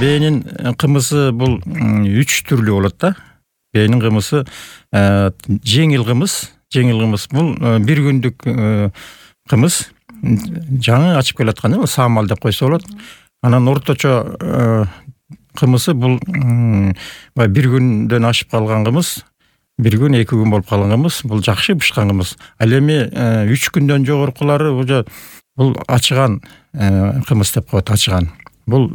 бээнин кымызы бул 3 түрлүү болот да. Бээнин кымызы жеңил кымыз бул бир күндүк кымыз, жаңы ачып келаткан саамал деп койсо болот. Анан орточо кымызы бул бир күндөн ашып калган кымыз, бир күн 2 күн болуп калган кымыз, бул жакшы бышкан кымыз. Ал эми 3 күндөн жогоркулары бул ачыган кымыз деп коет, ачыган. Бул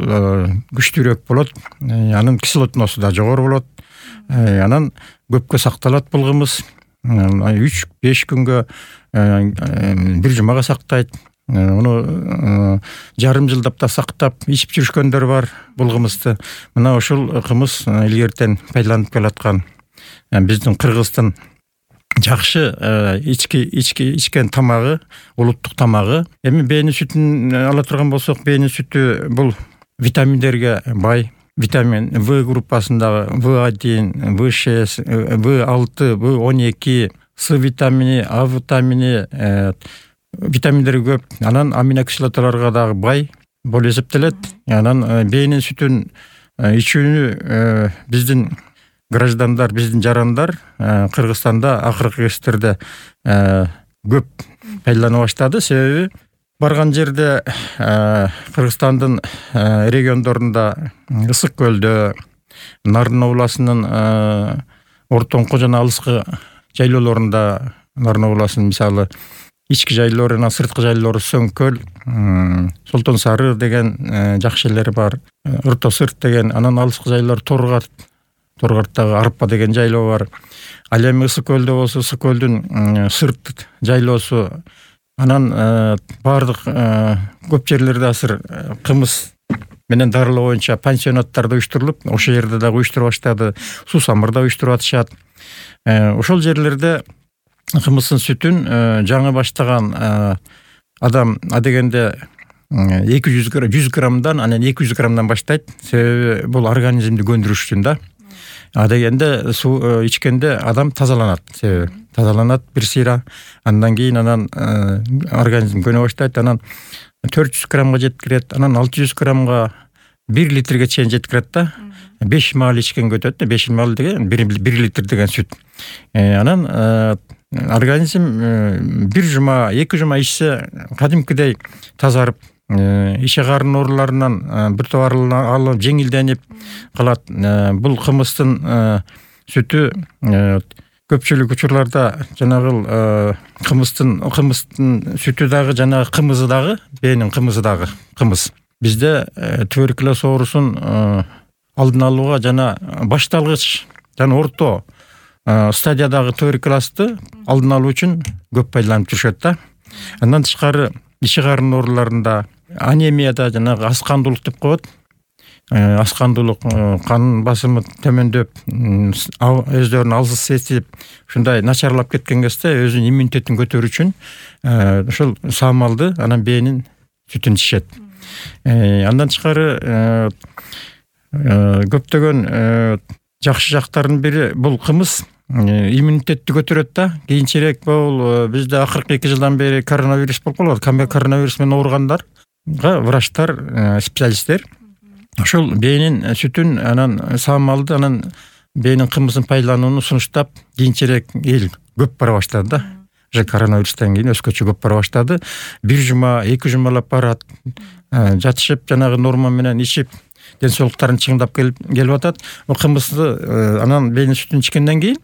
күчтүүрөөк болот, анын кислотносу да жогору болот. Анан көпкө сакталат бул кымыз. 3-5 күнгө, бир жумага сактайт. Уну жарым жылдап да сактап ичип жүрүшкөндөр бар бул кымызды. Мына ушул кымыз илгертен пайдаланып келаткан биздин Кыргыздын жакшы ичкен тамагы, улуттук тамагы. Эми бээнин сүтүн ала турган болсок, бээнин сүтү бул витаминдерге бай. Витамин В группасындагы В1, В6, В6, В12, С витамини, А витамини, витаминдери көп. Анан аминокислоталарга дагы бай болуп эсептелет. Анан бээнин сүтүн ичүүнү биздин граждандар, биздин жарандар Кыргызстанда акыркы кездерде көп пайдалана баштады. Себеби барган жерде Кыргызстандын региондорунда, Ысык көлдө, Нарын областынын ортоңку жана алыскы жайлоолорунда, Нарын областынын мисалы ички жайлоору, анан сырткы жайлоору Сөңкөл, Солтон Сары деген жакшы жерлери бар, Ырто Сырт деген, анан алыскы жайлоор Торгарттагы Арпа деген жайлоо бар. Ал эми Ысык көлдө болсо, Ысык көлдүн сырт жайлоосу. Анан бардык көп жерлерде азыр кымыз менен дарылоо боюнча пансионаттарда уюштурулуп, ошол жерде дагы уюштуруп баштады. Суу самырда уюштуруп атышат. Ошол жерлерде кымыздын сүтүн жаңы баштаган адам адегенде 100 граммдан, анан 200 граммдан баштайт. Себеби бул организмди көндүрүш үчүн да. Адегенде суу ичкенде адам тазаланат. Себеби тазаланат бир сыйра. Андан кийин организм көнө баштайт. Анан 400 граммга жеткирет. Анан 600 граммга 1 литрге чейин жеткирет да. 5 маал ичкенге өтөт. 5 маал деген 1 литр деген сүт. Анан организм бир жума, 2 жума ичсе кадимкидей тазарып, иче карын ооруларынан бир топ алып жеңилденип калат. Бул кымыздын сүтү көпчүлүк учурларда жанагы кымыздын сүтү дагы, жанагы кымызы дагы, бээнин кымызы дагы кымыз. Бизде туберкулез оорусун алдын алууга жана башталгыч жана орто стадиядагы туберкулезди алдын алуу үчүн көп пайдаланып жүрүшөт да. Андан тышкары ичи карын ооруларында, анемияда, жанагы аскандуулук деп коет. Аскандуулук, кан басымы төмөндөп, өздөрүн алсыз сезип, ушундай начарлап кеткен кезде өзүнүн иммунитетин көтөрүү үчүн ошол саамалды, анан бээнин сүтүн ичишет. Андан тышкары көптөгөн жакшы жактарынын бири бул кымыз иммунитетти көтөрөт да. Кийинчерээк бул бизде акыркы 2 жылдан бери коронавирус болуп калат. Коронавирус менен ооругандарга врачтар, специалисттер ошол бээнин сүтүн, анан саамалды, анан бээнин кымызын пайдаланууну сунуштап, кийинчерээк эл көп бара баштады да. Уже коронавирустан кийин өзгөчө көп бара баштады. 1 жума, 2 жумалап барат, жатышып, жанагы норма менен ичип, ден соолуктарын чыңдап келип атат. Кымызды анан бээнин сүтүн ичкенден кийин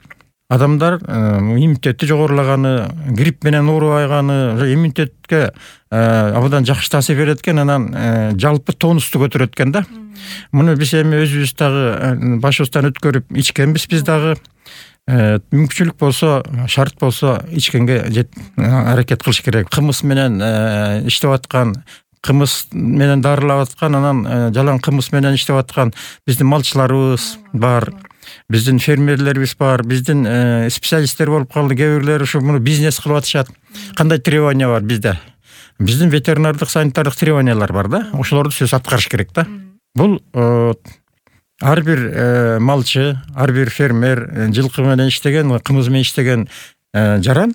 адамдар иммунитети жогорулаганы, грипп менен оорубайганы, иммунитетке абдан жакшы таасир берет экен, анан жалпы тонусту көтөрөт экен да. Муну биз эми өзүбүз дагы башыбыздан өткөрүп ичкенбиз, биз дагы мүмкүнчүлүк болсо, шарт болсо ичкенге аракет кылыш керек. Кымыз менен иштеп аткан, кымыз менен дарылап аткан, анан жалаң кымыз менен иштеп аткан биздин малчыларыбыз бар, биздин фермерлерибиз бар, биздин специалисттер болуп калды. Кээ бирлери ушу муну бизнес кылып атышат. Кандай требования бар бизде? Биздин ветеринардык, санитардык требованиялар бар да. Ошолорду сөз аткарыш керек да. Бул ар бир малчы, ар бир фермер, жылкы менен иштеген, кымыз менен иштеген жаран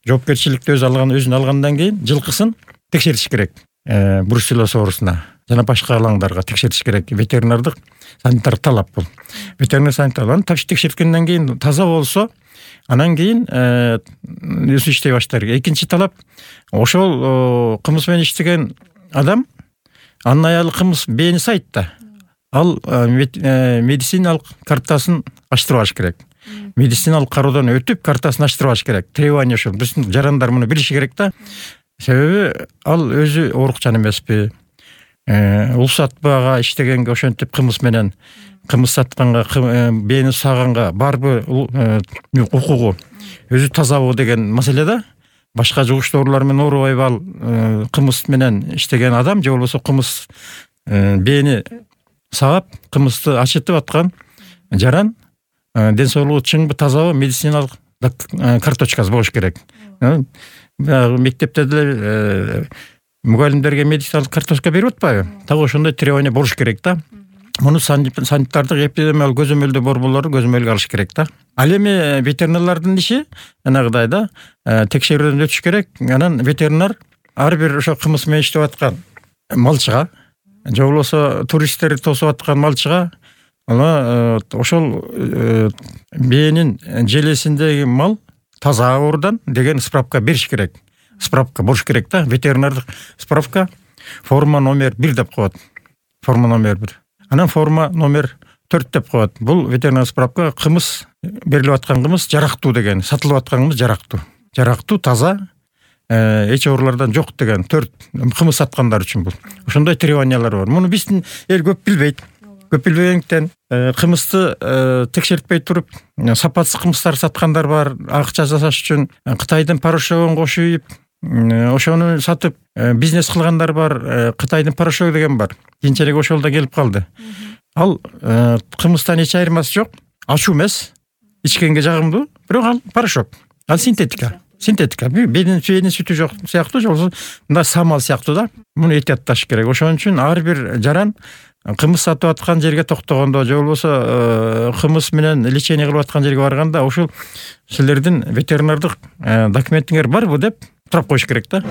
жоопкерчиликти өзүнө алгандан кийин жылкысын текшертиш керек. Бруцеллоз оорусуна жана башка алаңдарга текшертиш керек. Ветеринардык санитар талап бул. Ветеринар санитарларын текшерткенден кийин таза болсо, анан кийин өзү иштей баштар. Экинчи талап, ошол кымыз менен иштеген адам, анын аялы кымыз бээни сайтта. Ал медициналык картасын ачтырбаш керек. Медициналык кароодон өтүп, картасын ачтырбаш керек. Требование ошол. Биздин жарандар муну билиши керек да. Себеби ал өзү оорукчан эмеспи? Улсатпага иштегенге ошентип кымыз менен кымыз сатканга, бээни саганга барбы укугу, өзү тазабы деген маселе да. Башка жугуч доорулар менен оорубайбы ал кымыз менен иштеген адам, же болбосо кымыз бээни сагап, кымызды ачытып аткан жаран ден соолугу чыңбы, тазабы, медициналык карточкасы болуш керек. Мектепте деле мугалимдерге медициналык карточка берип атпайбы? Так ошондой требование болуш керек да. Муну санитардык эпидемиологиялык көзөмөлдөө борборлору көзөмөлгө алыш керек да. Ал эми ветеринарлардын иши жанагыдай да, текшерүүдөн өтүш керек. Анан ветеринар ар бир ошо кымыз менен иштеп аткан малчыга, же болбосо туристтер тосуп аткан малчыга, ошол бээнин желесиндеги мал таза оорудан деген справка бериш керек. Справка болуш керек да. Ветеринардык справка форма номер 1 деп коет. Форма номер 1. Анан форма номер 4 деп коет. Бул ветеринар справка кымыз берилип аткан кымыз жарактуу деген, сатылып аткан кымыз жарактуу. Жарактуу, таза, эч оорулардан жок деген 4 кымыз саткандар үчүн бул. Ошондой требованиялар бар. Муну биздин эл көп билбейт. Көп билбегендиктен кымызды текшертпей туруп, сапатсыз кымыздар саткандар бар. Акча жасаш үчүн Кытайдын порошогун кошуп ийип, ошону сатып бизнес кылгандар бар. Кытайдын порошогу деген бар. Кийинчерээк ошол да келип калды. Ал кымыздан эч айырмасы жок. Ачуу эмес, ичкенге жагымдуу, бирок ал порошок. Ал синтетика. Бенин сүтү жок сыяктуу, же болбосо мындай самал сыяктуу да. Муну этиятташ керек. Ошон үчүн ар бир жаран кымыз сатып аткан жерге токтогондо, же болбосо кымыз менен лечение кылып аткан жерге барганда, ошол силердин ветеринардык документиңер барбы деп сурап коюш керек да.